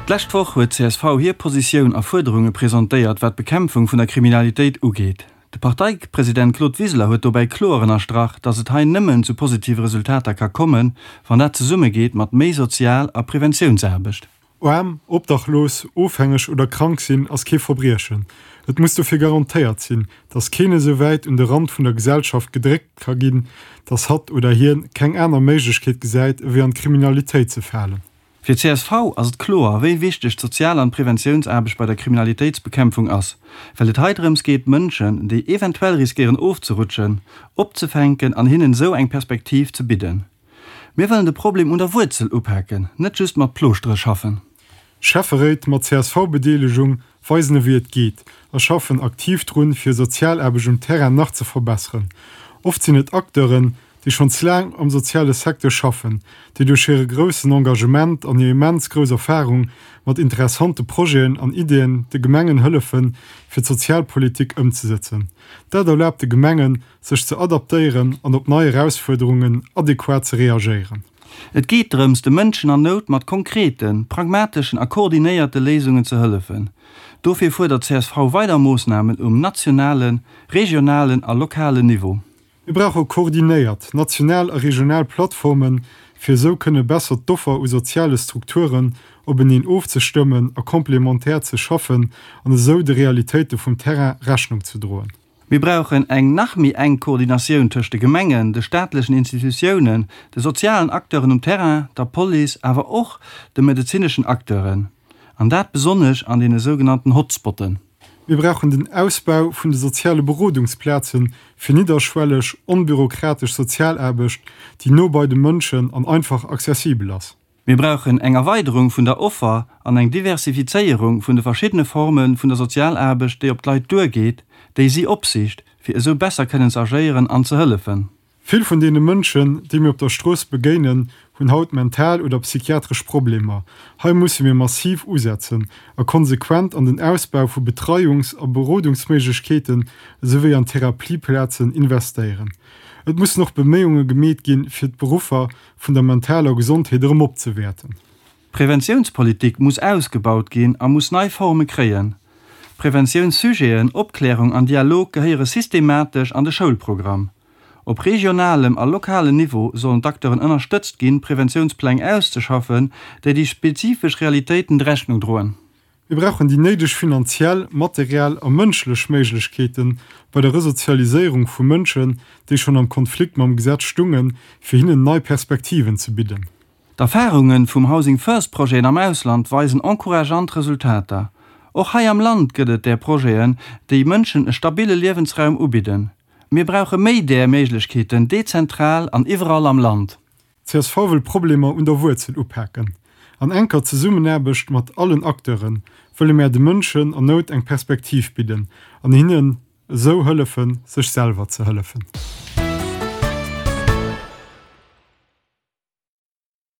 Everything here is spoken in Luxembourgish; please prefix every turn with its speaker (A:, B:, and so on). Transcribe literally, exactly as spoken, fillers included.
A: D'lescht Woch huet csv hir Positioun a Fuerderunge presentéiert, wat d'Bekämpfung vun der Kriminalitéit ugeet. De Parteipresident Claude Wiseler huet dobäi kloer ënnerstrach, datt et hei nëmmen zu positive Resultater ka kommen, wann dat zesummegeet mat méi Sozial a Preventiounsaarbecht.
B: Aarm, obdachlos, ofhängeg oder krank sinn ass kee Verbriechen. Et muss dofir garantéiert sinn, datt keen esou wäit un de Rand vun der Gesellschaft gedréckt ka ginn, datt hatt oder hien keng aner Méiglechkeet gesäit ewéi an d'Kriminalitéit ze falen.
A: Fir csv ass et kloer, wéi wichteg d'Sozial an d'Preventiounsaarbecht bei der Kriminalitéitsbekämpfung ass, well et hei drëms geet, Mënschen, déi eventuell riskéieren ofzerutschen, opzefänken an hinnen esou eng Perspektiv ze bidden. Mir wëllen de Problem un der Wuerzel upaken, net just mat Plooschtere schaffen.
B: Schäfferéit mat CSV-Bedeelegung weisen ewéi et geet a schaffen aktiv drun, fir Sozialaarbecht um Terrain nach ze verbesseren. Oft sinn et Acteuren, déi schonns laang am soziale Secteur schaffen, déi duerch hire groussen Engagement an hir immens grouss Erfarung mat interessante Projeten an Ideeën de Gemengen hëllefen, fir d'Sozialpolitik ëmzesëtzen. Dat erlaabt de Gemengen, sech ze adaptéieren an op nei Erausfuerderungen adequat ze reagéieren.
A: Et geet drëms, de Mënschen an Nout mat konkreten, pragmateschen a koordinéierte Léisungen ze hëllefen. Dofir fuerdert csv weider Moossnamen um nationalen, regionalen a lokalen Niveau.
B: Mir brauche koordinéiert national a regional Plattformen, fir esou kënne besser d'Offer u soziale Strukturen openeen ofzestëmmen a komplementär ze schaffen an esou de Realitéite vum Terrain Rechnung ze droen.
A: Mir brauchen eng nach méi enk Koordinatioun tëscht de Gemengen, de staatlechen Institutiounen, de sozialen Acteuren um Terrain, der Police, awer och de medezineschen Acteuren, an dat besonnesch an deene sougenannten Hotspotten.
B: Mir brauchen den Ausbau vun de soziale Berodungsplazen fir nidderschwelleg, onbürokratesch Sozialaarbecht, déi no bei de Mënschen an einfach accessibel ass.
A: Mir brauchen eng Erweiderung vun der Offer an eng Diversifizéierung vun de verschiddene Forme vun der Sozialaarbecht, déi op d'Leit duergeet, déi si opsicht, fir esou besser kënnen ze agéieren an ze hëllefen.
B: Vill vun deene Mënschen, déi mir op der Strooss begéinen, hunn haut mental oder psychiatresch Problemer. Hei musse mir massiv usetzen a konsequent an den Ausbau vu Betreiungs a Berodungsméiglechkeeten esouwéi an Therapieplazen investéieren. Et mussen och Beméiunge gemeet ginn, fir d'Beruffer vun der mentaler Gesondheet erëm opzewäerten.
A: D'Preventiounspolitik muss ausgebaut ginn a muss nei Forme kréien. Preventiounssujeten, Opklärung an Dialog gehéiere systematesch an de Schoulprogramm. Op regionalem a lokalen Niveau sollen d'Acteuren ënnerstëtzt ginn, Preventiounspläng auszeschaffen, déi déi spezifesch Realitéiten Rechnung droen.
B: Mir brauchen déi néideg finanziell, materiell a mënschlech Méiglechkeete bei der Resozialiséierung vu Mënschen, déi schonn am Konflikt mam Gesetz stungen, fir hinnen nei Perspektiven ze bidden.
A: D'Erfarunge vum Housing First Projeten am Ausland weisen encourageant Resultater. Och hei am Land gëtt et där Projeten, déi Mënschen e stabille Liewensraum ubidden. Mir brauche méi där Méiglechkeeten dezentral an iwwerall am Land.
B: Csv wëll Problemer un der Wuerzel upaken. An enker Zesummenaarbecht mat allen Acteure wëlle mär de Mënschen an Nout eng Perspektiv bidden an hinnen esou hëllefen, sech selwer ze hëllefen.